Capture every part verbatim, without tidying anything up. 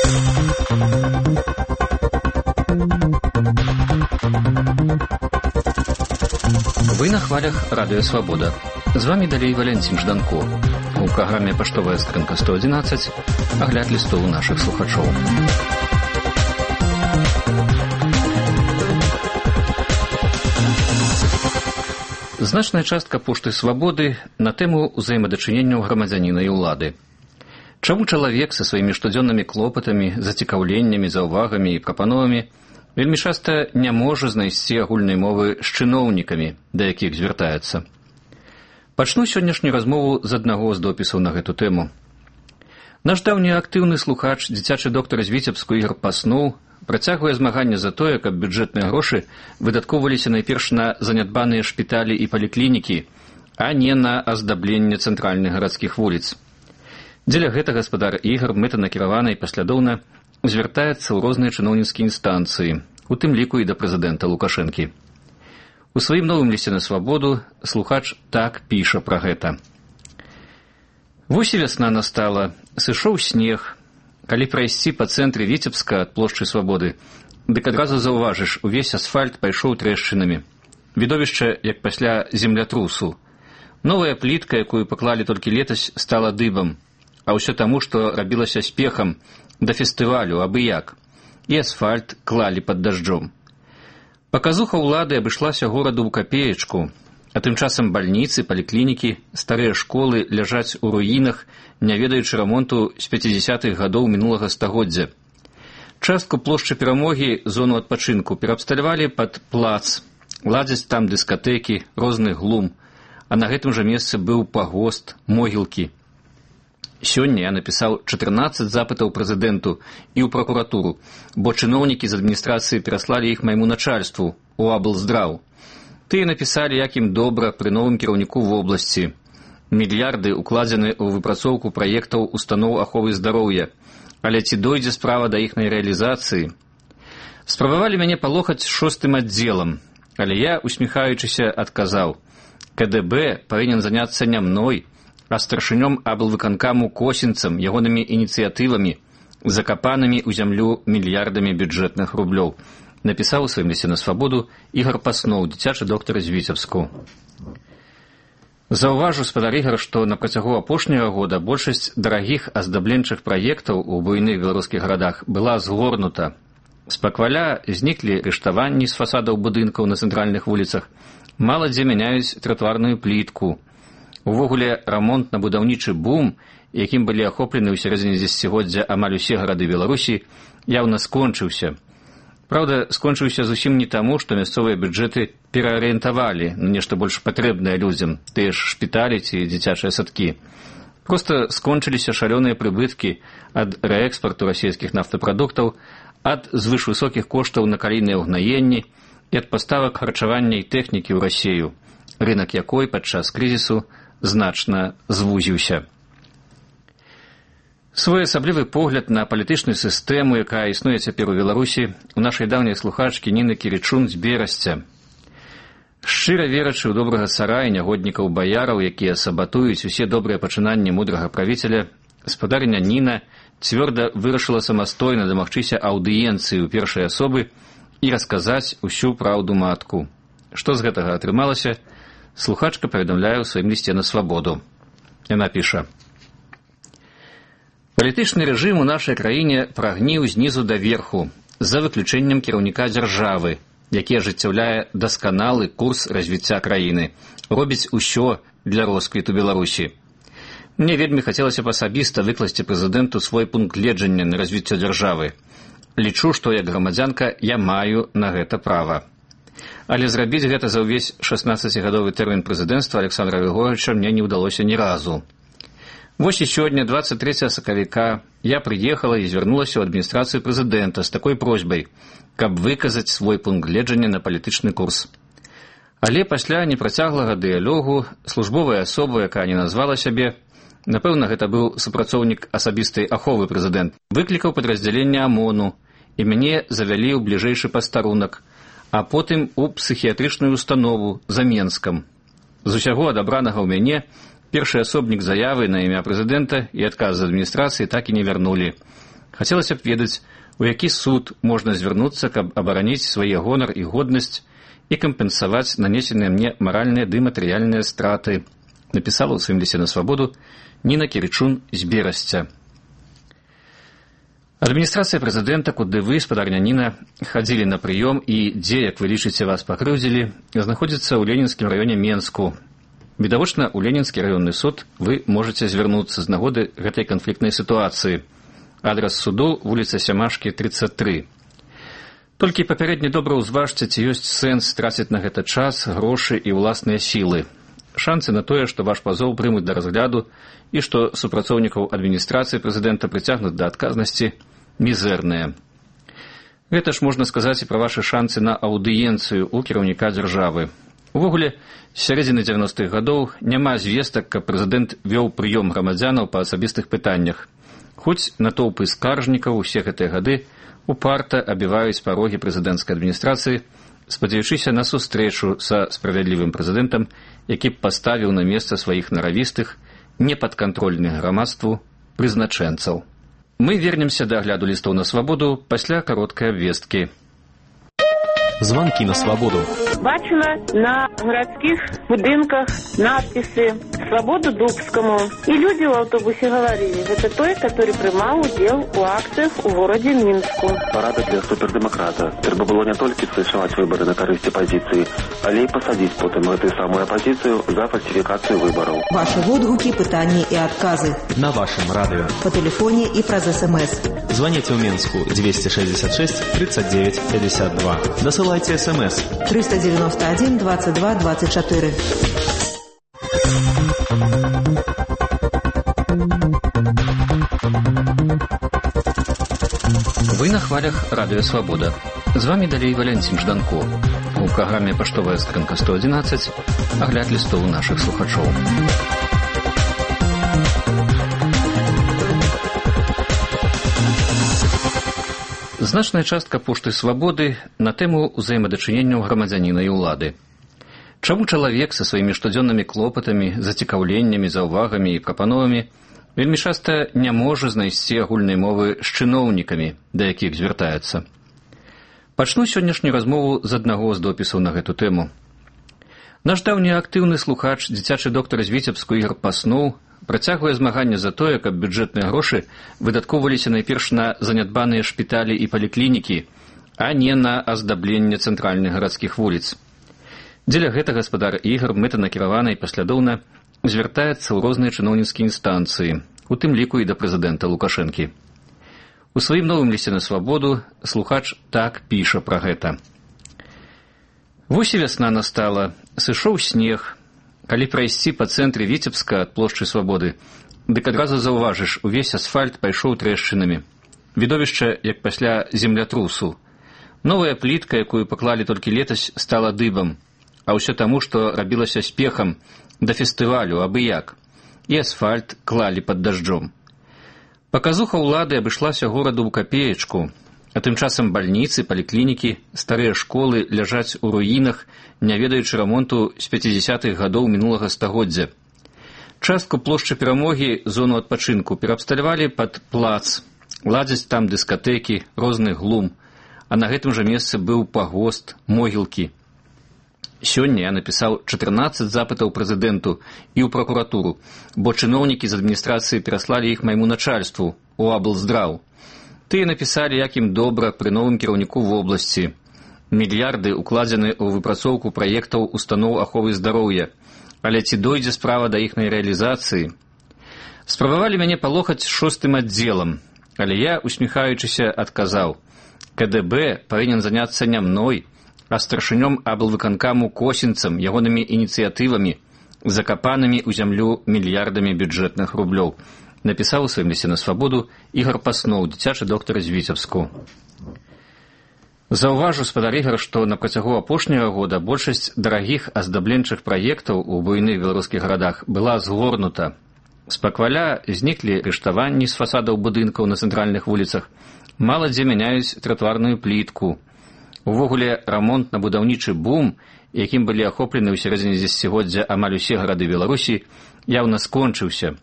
Вы на хвалях Радио Свобода. З вами далей Валентин Жданко. У праграме «Паштовая скрынка сто одиннадцать» агляд лістоў нашых слухачоў. Значная частка пошты «Свабоды» на тэму ўзаемадачыненняў грамадзяніна і ўлады. Чаму чалавек са сваімі штодзённымі клопатамі, зацікаўленнямі, заўвагамі і прапановамі вельмі часта не можа знайсці агульнай мовы з чыноўнікамі, да якіх звяртаецца. Пачну сённяшнюю размову з аднаго з допісаў на гэту тэму. Наш даўні актыўны слухач, дзіцячы доктар з Віцебску Ігор Паснуў, працягвае змаганне за тое, каб бюджэтныя грошы выдаткоўваліся найперш на занядбаныя шпіталі і паліклінікі, а не на аздабленне цэнтральных гарадскіх вуліц. Дзеля гэтага гаспадар Ігор мэтанакіравана і паслядоўна звяртаецца ў розныя чыноўніцкія інстанцыі, у тым ліку і да прэзідэнта Лукашэнкі. У сваім новым лісце на Свабоду слухач так піша пра гэта. Вось і вясна настала, сышоў снег. Калі прайсці па цэнтры Віцебска ад плошчы Свабоды, дык адразу заўважыш, увесь асфальт пайшоў трэшчынамі. Відовішча, як пасля землятрусу. Новая плітка, якую паклалі толькі летась, стала дыбам, а ўсё таму, што рабілася спехам да фестывалю, абы як. І асфальт клалі пад дажджом. Паказуха ўлады абышлася гораду ў капеечку, а тым часам бальніцы, паліклінікі, старыя школы ляжаць у руінах, не ведаючы рамонту з пяцідзясятых гадоў мінулага стагоддзя. Частку плошчы Перамогі, зону адпачынку, пераабсталявалі пад плац, ладзяць там дыскатэкі, розны глум, а на гэтым жа месцы быў пагост, могілкі. Сёння я напісаў чатырнаццаць запытаў прэзідэнту і ў пракуратуру, бо чыноўнікі з адміністрацыі пераслалі іх майму начальству, у аблздраў. Тыя напісалі, як ім добра пры новым кіраўніку вобласці. Мільярды укладзены ў выпрацоўку праектаў устаноў аховы здароўя, але ці дойдзе справа да іхнай рэалізацыі? Спрабавалі мяне палохаць шостым аддзелам, але я, усміхаючыся, адказаў: ка дэ бэ павінен заняцца не мной, а старшынём аблвыканкаму Косінцам, ягонымі ініцыятывамі, закапанымі ў зямлю мільярдамі бюджэтных рублёў, напісаў у сваім лісце на Свабоду Ігор Паснуў, дзіцячы доктар з Віцебску. Заўважу, спадар Ігор, што на працягу апошняга года большасць дарагіх аздабленчых праектаў у буйных беларускіх гарадах была згорнута. З пакваля зніклі рыштаванні з фасадаў будынкаў на цэнтральных вуліцах, мала дзе мяняюць тратуарную плітку. Увогуле, рамонтна-будаўнічы бум, якім былі ахоплены ў сярэдзіне дзесяцігоддзя амаль усе гарады Беларусі, яўна скончыўся. Праўда, скончыўся зусім не таму, што мясцовыя бюджэты пераарыентавалі на нешта больш патрэбнае людзям, тыя ж шпіталі ці дзіцячыя садкі. Проста скончыліся шалёныя прыбыткі ад рээкспарту расійскіх нафтапрадуктаў, ад звышвысокіх коштаў на калійныя ўгнаенні і ад паставак харчавання і тэхнікі ў Расею, рынак якой падчас крызісу значна звузіўся. Своеасаблівы погляд на палітычную сістэму, якая існуе цяпер у Беларусі, у нашай даўняй слухачкі Ніны Кірічун з Берасця. Шчыра верачы ў добрага цара і нягоднікаў-баяраў, якія сабатуюць усе добрыя пачынанні мудрага правіцеля, гаспадарыня Ніна цвёрда вырашыла самастойна дамагчыся аўдыенцыі ў першай асобы і расказаць усю праўду матку. Што з гэтага атрымалася, слухачка паведамляе ў сваім лісце на Свабоду. Яна піша: «Палітычны рэжым у нашай краіне прагніў знізу да верху, за выключэннем кіраўніка дзяржавы, які ажыццяўляе дасканалы курс развіцця краіны, робіць усё для росквіту Беларусі. Мне вельмі хацелася б асабіста выкласці прэзідэнту свой пункт гледжання на развіццё дзяржавы. Лічу, што як грамадзянка я маю на гэта права. Але зрабіць гэта за ўвесь шаснаццацігадовы тэрмін прэзідэнцтва Александра Григорьевича мне не ўдалося ні разу. Вось і сёння, двадцать трэцяга сакавіка, я прыехала і звярнулася ў адміністрацыю прэзідэнта з такой просьбай, каб выказаць свой пункт гледжання на палітычны курс. Але пасля непрацяглага дыялогу службовая асоба, якая не назвала сябе, напэўна, гэта быў супрацоўнік асабістай аховы прэзідэнт, выклікаў падраздзяленне АМОНу, і мяне завялі ў бліжэйшы пастарунак, а потым у псіхіятрычную установу за Менскам. З усяго адабранага ў мяне першы асобнік заявы на імя прэзідэнта і адказ з адміністрацыі так і не вярнулі. Хацелася б ведаць, у які суд можна звярнуцца, каб абараніць свае гонар і годнасць і кампенсаваць нанесеныя мне маральныя ды матэрыяльныя страты, напісала ў сваім лісце на свабоду Ніна Кірычун з Берасця. Адміністрацыя прэзідэнта, куды вы, спадарня Ніна, хадзілі на прыём і дзе, як вы лічыце, вас пакрыўдзілі, знаходзіцца ў Ленінскім раёне Менску. Відавочна, у Ленінскі раённы суд вы можаце звярнуцца з нагоды гэтай канфліктнай сітуацыі. Адрас суду вуліца Сямашкі, тридцать три. Толькі папярэдне добра ўзважце, ці ёсць сэнс траціць на гэта час, грошы і ўласныя сілы. Шансы на тое, што ваш пазоў прымуць да разгляду і што супрацоўнікаў адміністрацыі прэзідэнта прыцягнуць да адказнасці, мізэрныя. Гэта ж можна сказаць і пра вашы шансы на аўдыенцыю ў кіраўніка дзяржавы. Увогуле, з сярэдзіны дзевяностых гадоў няма звестак, каб прэзідэнт вёў прыём грамадзянаў па асабістых пытаннях. Хоць натоўпы скаржнікаў усе гэтыя гады упарта абіваюць парогі прэзідэнцкай адміністрацыі, спадзяючыся на сустрэчу са справядлівым прэзідэнтам, які б паставіў на месца сваіх наравістых, непадкантрольных грамадству прызначэнцаў. Мы вернемся да агляду лістоў на свабоду пасля кароткай абвесткі. Звонки на свободу. Бачила на городских будинках надписи «Свободу Дубскому». И люди в автобусе говорили, это той, который принимал удел у акциях у городе Минску. Парада для супердемократа. Треба было не только совершать выборы на корысть оппозиции, але и посадить потом эту самую оппозицию за фальсификацию выборов. Ваши отгуки, пытания и отказы. На вашем радио. По телефоне и про СМС. Звоните в Минску двести шестьдесят шесть тридцать девять пятьдесят два. Досылайте СМС. триста девяносто один двадцать два двадцать четыре. Вы на хвалях Радио Свобода. З вами далей Валентин Жданко. У праграме «Паштовая скрынка сто одиннадцать» агляд лістоў нашых слухачоў. Значная частка пошты «Свабоды» на тэму ўзаемадачыненняў грамадзяніна і ўлады. Чаму чалавек са сваімі штодзённымі клопатамі, зацікаўленнямі, заўвагамі і прапановамі вельмі часта не можа знайсці агульнай мовы з чыноўнікамі, да якіх звяртаецца? Пачну сённяшнюю размову з аднаго з допісаў на гэту тэму. Наш даўні актыўны слухач, дзіцячы доктар з Віцебску Ігор Паснуў, працягвае змаганне за тое, каб бюджэтныя грошы выдаткоўваліся найперш на занядбаныя шпіталі і паліклінікі, а не на аздабленне цэнтральных гарадскіх вуліц. Дзеля гэтага гаспадар Ігар мэтанакіравана і паслядоўна звяртаецца ў розныя чыноўніцкія інстанцыі, у тым ліку і да прэзідэнта Лукашэнкі. У сваім новым лісце на свабоду слухач так піша пра гэта. Вось і вясна настала, сышоў снег. Калі прайсці па цэнтры Віцебска ад плошчы Свабоды, дык адразу заўважыш, увесь асфальт пайшоў трэшчынамі. Відовішча, як пасля землятрусу. Новая плітка, якую паклалі толькі летась, стала дыбам, а ўсё таму, што рабілася спехам да фестывалю, абы як. І асфальт клалі пад дажджом. Паказуха ўлады абышлася гораду ў капеечку, а тым часам бальніцы, паліклінікі, старыя школы ляжаць у руінах, не ведаючы рамонту з пяцідзясятых гадоў мінулага стагоддзя. Частку плошчы Перамогі, зону адпачынку, пераабсталявалі пад плац, ладзяць там дыскатэкі, розны глум, а на гэтым жа месцы быў пагост, могілкі. Сёння я напісаў чатырнаццаць запытаў прэзідэнту і ў пракуратуру, бо чыноўнікі з адміністрацыі пераслалі іх майму начальству, у аблздраў. Тыя напісалі, як ім добра пры новым кіраўніку в обласці. Мільярды укладзены ў выпрацоўку праектаў устаноў аховы здароўя, але ці дойдзе справа да іхнай рэалізацыі? Спрабавалі мяне палохаць шостым аддзелам, але я, усміхаючыся, адказаў: ка дэ бэ павінен заняцца не мной, а старшынём аблвыканкаму Косінцам, ягонымі ініцыятывамі, закапанымі ў зямлю мільярдамі бюджэтных рублёў. Напісаў у сваім лісце на свабоду Ігор Паснуў, дзіцячы доктар з Віцебску. Заўважу, спадар Ігар, што на працягу апошняга года большасць дарагіх аздабленчых праектаў у буйных беларускіх гарадах была згорнута. З пакваля зніклі рыштаванні з фасадаў будынкаў на цэнтральных вуліцах, мала дзе мяняюць тратуарную плітку. Увогуле, рамонтна-будаўнічы бум, якім былі ахоплены ў сярэдзіне дзесяцігоддзя амаль усе гарады Беларусі, яўна скончыўся.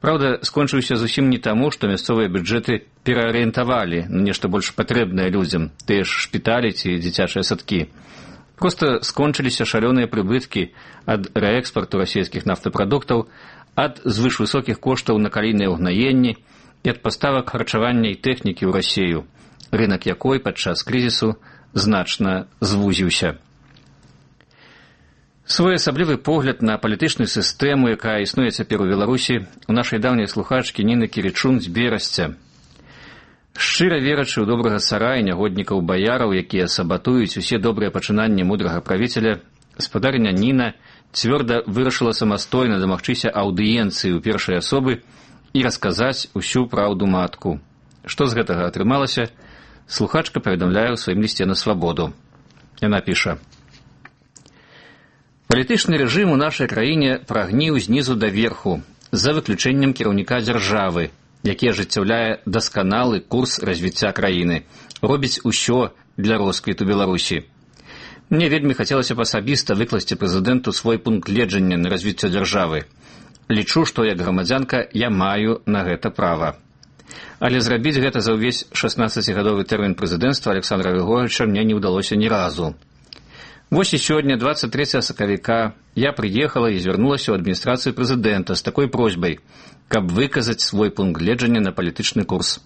Праўда, скончыўся зусім не таму, што мясцовыя бюджэты пераарыентавалі на нешта больш патрэбнае людзям, тыя ж шпіталі ці дзіцячыя садкі. Проста скончыліся шалёныя прыбыткі ад рээкспарту расійскіх нафтапрадуктаў, ад звышвысокіх коштаў на калійныя ўгнаенні і ад паставак харчавання і тэхнікі ў Расію, рынак якой падчас крызісу значна звузіўся. Своеасаблівы погляд на палітычную сістэму, якая існуе цяпер у Беларусі, у нашай даўняй слухачкі Ніны Кірічун з Берасця. Шчыра верачы ў добрага цара і нягоднікаў баяраў, якія сабатуюць усе добрыя пачынанні мудрага правіцеля, спадарня Ніна цвёрда вырашыла самастойна дамагчыся аўдыенцыі ў першай асобы і расказаць усю праўду матку. Што з гэтага атрымалася, слухачка паведамляе ў сваім лісце на свабоду. Яна піша: «Палітычны рэжым у нашай краіне прагніў знізу да верху, за выключэннем кіраўніка дзяржавы, які ажыццяўляе дасканалы курс развіцця краіны, робіць усё для росквіту Беларусі. Мне вельмі хацелася б асабіста выкласці прэзідэнту свой пункт гледжання на развіццё дзяржавы. Лічу, што як грамадзянка я маю на гэта права. Але зрабіць гэта за ўвесь шаснаццацігадовы тэрмін прэзідэнцтва Александра Григорьевича мне не ўдалося ні разу. Вось і сёння, двадцать третьего сакавіка, я прыехала і звярнулася ў адміністрацыю прэзідэнта з такой просьбай, каб выказаць свой пункт гледжання на палітычны курс.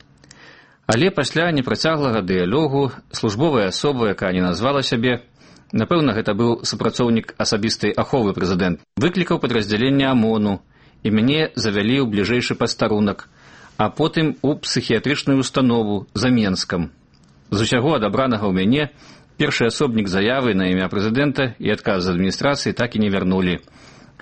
Але пасля непрацяглага дыялогу службовая асоба, якая не назвала сябе, напэўна, гэта быў супрацоўнік асабістай аховы прэзідэнт, выклікаў падраздзяленне ОМОНу і мяне завялі ў бліжэйшы пастарунак, а потым у псіхіятрычную установу за Менскам. З усяго адабранага ў мяне першы асобнік заявы на імя прэзідэнта і адказ з адміністрацыі так і не вярнулі.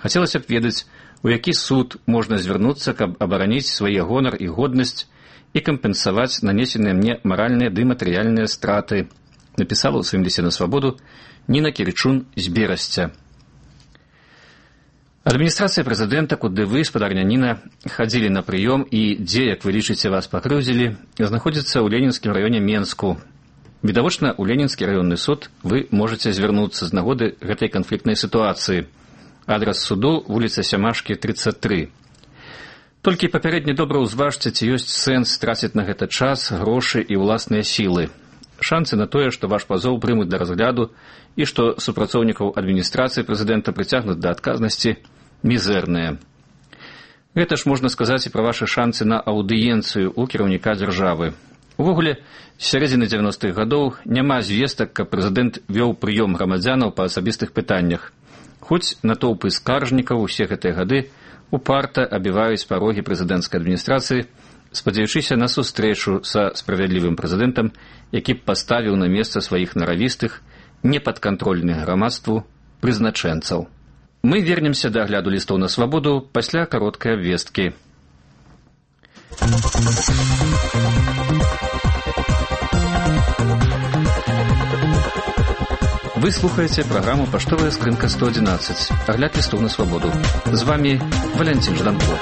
Хацелася б ведаць, у які суд можна звярнуцца, каб абараніць свае гонар і годнасць і кампенсаваць нанесеныя мне маральныя ды матэрыяльныя страты, напісала ў сваім лісце на свабоду Ніна Кірічун з Берасця. Адміністрацыя прэзідэнта, куды вы, спадарня Ніна, хадзілі на прыём і дзе, як вы лічыце, вас пакрыўдзілі, знаходзіцца ў Ленінскім раёне Менску. Відавочна, у Ленінскі раённы суд вы можаце звярнуцца з нагоды гэтай канфліктнай сітуацыі. Адрас суду — вуліца Сямашкі, тридцать три. Толькі папярэдне добра ўзважце, ці ёсць сэнс траціць на гэта час, грошы і ўласныя сілы. Шансы на тое, што ваш пазоў прымуць да разгляду і што супрацоўнікаў адміністрацыі прэзідэнта прыцягнуць да адказнасці, мізэрныя. Гэта ж можна сказаць і пра вашы шансы на аўдыенцыю ў кіраўніка дзяржавы. Увогуле, з сярэдзіны дзевяностых гадоў няма звестак, каб прэзідэнт вёў прыём грамадзянаў па асабістых пытаннях. Хоць натоўпы скаржнікаў усе гэтыя гады упарта абіваюць парогі прэзідэнцкай адміністрацыі, спадзяючыся на сустрэчу са справядлівым прэзідэнтам, які б паставіў на месца сваіх наравістых, непадкантрольных грамадству прызначэнцаў. Мы вернемся да агляду лістоў на свабоду пасля кароткай абвесткі. Вы слухаете программу «Поштовая скрынка сто одиннадцать». Огляд листов на свободу. С вами Валентин Жданко.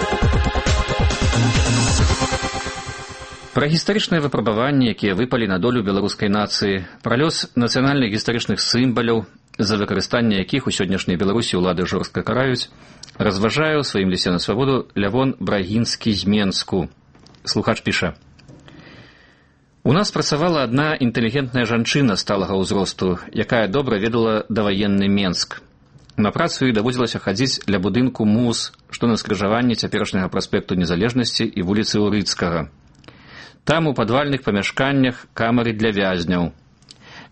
Пра гістарычныя выпрабаванні, якія выпалі на долю беларускай нацыі, пра лёс нацыянальных гістарычных сімваляў, за выкарыстанне якіх у сённяшняй Беларусі ўлады жорстка караюць, разважае ў сваім лісце на свабоду Лявон Брагінскі з Менску. Слухач піша: «У нас працавала адна інтэлігентная жанчына сталага ўзросту, якая добра ведала даваенны Менск. На працу ёй даводзілася хадзіць ля будынку МУЗ, што на скрыжаванні цяперашняга праспекту Незалежнасці і вуліцы Урыцкага. Там у падвальных памяшканнях камары для вязняў.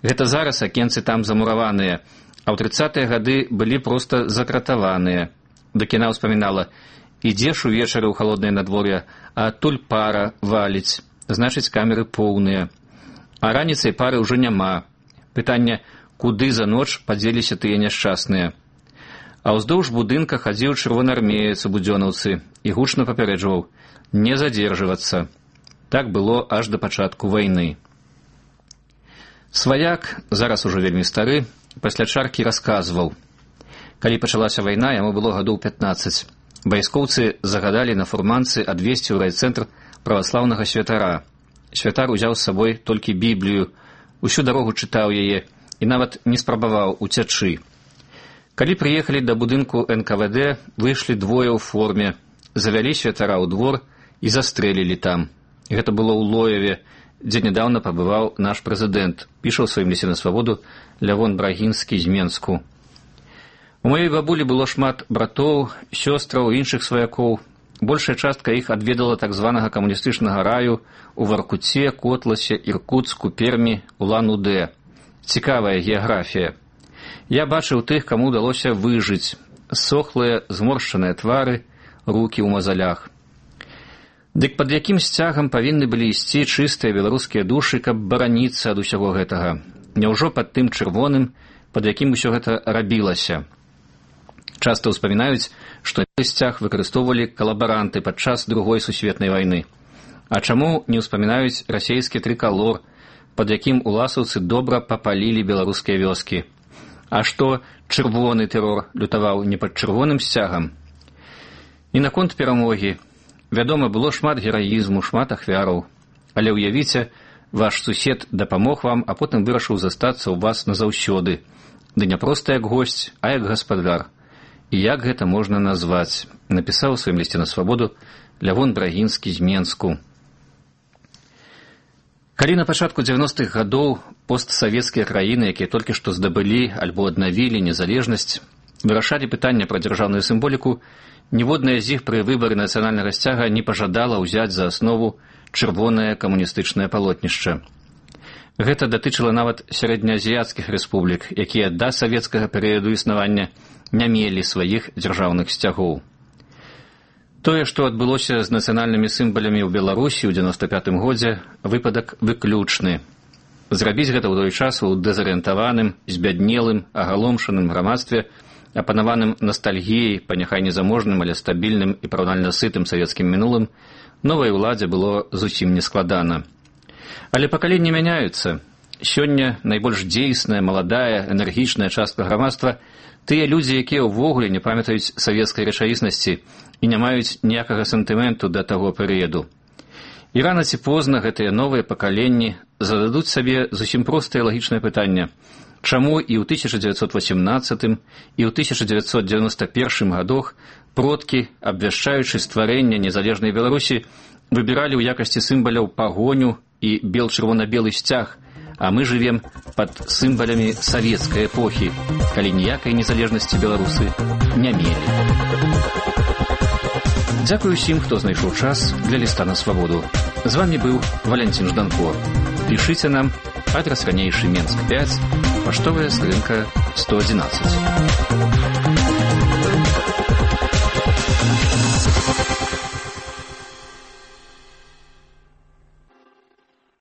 Гэта зараз акенцы там замураваныя, а ў трыццатыя гады былі проста закратаваныя. Дык яна ўспамінала: ідзеш увечары ў халоднае надвор'е, а адтуль пара валіць. Значыць, камеры поўныя. А раніцай пары ўжо няма. Пытанне, куды за ноч падзеліся тыя няшчасныя. А ўздоўж будынка хадзіў чырвонаармеец у будзёнаўцы і гучна папярэджваў: не задзержвацца. Так было аж да пачатку вайны. Сваяк, зараз ужо вельмі стары, пасля чаркі расказваў: калі пачалася вайна, яму было гадоў пятнаццаць. Вайскоўцы загадалі на фурманцы адвезці ў райцэнтр праваслаўнага святара. Святар узяў з сабой толькі Біблію, усю дарогу чытаў яе і нават не спрабаваў уцячы. Калі прыехалі да будынку эн ка вэ дэ, выйшлі двое ў форме. завялі святара ў двор і застрэлілі там. Гэта было ў Лоеве, дзе нядаўна пабываў наш прэзідэнт, піша ў сваім лісце на свабоду Лявон Брагінскі з Менску. У маёй бабулі было шмат братоў, сёстраў, іншых сваякоў. Большая частка іх адведала так званага камуністычнага раю у Воркуце, Котласе, Іркуцку, Пермі, Улан-Удэ. Цікавая геаграфія. Я бачыў тых, каму ўдалося выжыць. Сохлыя, зморшчаныя твары, рукі ў мазалях. Дык пад якім сцягам павінны былі ісці чыстыя беларускія душы, каб бараніцца ад усяго гэтага? Няўжо пад тым чырвоным, пад якім усё гэта рабілася? Часта ўспамінаюць, што сцяг выкарыстоўвалі калабаранты падчас другой сусветнай вайны. А чаму не ўспамінаюць расейскі трыкалор, пад якім уласаўцы добра папалілі беларускія вёскі? А што чырвоны тэрор лютаваў не пад чырвоным сцягам? І наконт перамогі. Вядома, было шмат гераізму, шмат ахвяраў. Але ўявіце, ваш сусед дапамог вам, а потым вырашыў застацца ў вас назаўсёды. Ды не проста як госць, а як гаспадар. І як гэта можна назваць? Напісаў у сваім лісце на свабоду Лявон Брагінскі з Менску. Калі на пачатку дзевяностых гадоў постсавецкія краіны, якія толькі што здабылі альбо аднавілі незалежнасць, вырашалі пытанне пра дзяржаўную сімволіку, ніводная з іх пры выбары нацыянальнага сцяга не пажадала ўзяць за аснову чырвонае камуністычнае палотнішча. Гэта датычыла нават сярэднеазіяцкіх рэспублік, якія да савецкага перыяду існавання не мелі сваіх дзяржаўных сцягоў. Тое, што адбылося з нацыянальнымі сімвалямі ў Беларусі ў дзевяноста пятым годзе, выпадак выключны. Зрабіць гэта ў той час у дэзарыентаваным, збяднелым, агаломшаным грамадстве, апанаваным настальгіяй па няхай незаможным, але стабільным і параўнальна сытым савецкім мінулым, новай уладзе было зусім нескладана. Але пакаленні мяняюцца. Сёння найбольш дзейсная, маладая, энергічная частка грамадства тыя людзі, якія ўвогуле не памятаюць савецкай рэчаіснасці і не маюць ніякага сентыменту да таго перыяду. І рана ці позна гэтыя новыя пакаленні зададуць сабе зусім простае лагічнае пытанне. Чаму і ў тысяча дзевяцьсот васемнаццатым і ў тысяча дзевяцьсот дзевяноста першым гадах продкі, абвяшчаючы стварэнне незалежнай Беларусі, выбіралі ў якасці сімваляў пагоню і бел-чырвона-белы сцяг, а мы жывем пад сімвалямі савецкай эпохі, калі ніякай незалежнасці беларусы не мелі. Дзякую ўсім, хто знайшоў час для ліста на свабоду. З вамі быў Валянцін Жданко. Пішыце нам, адрас ранейшы Менск пяць, паштовая скрынка сто адзінаццаць.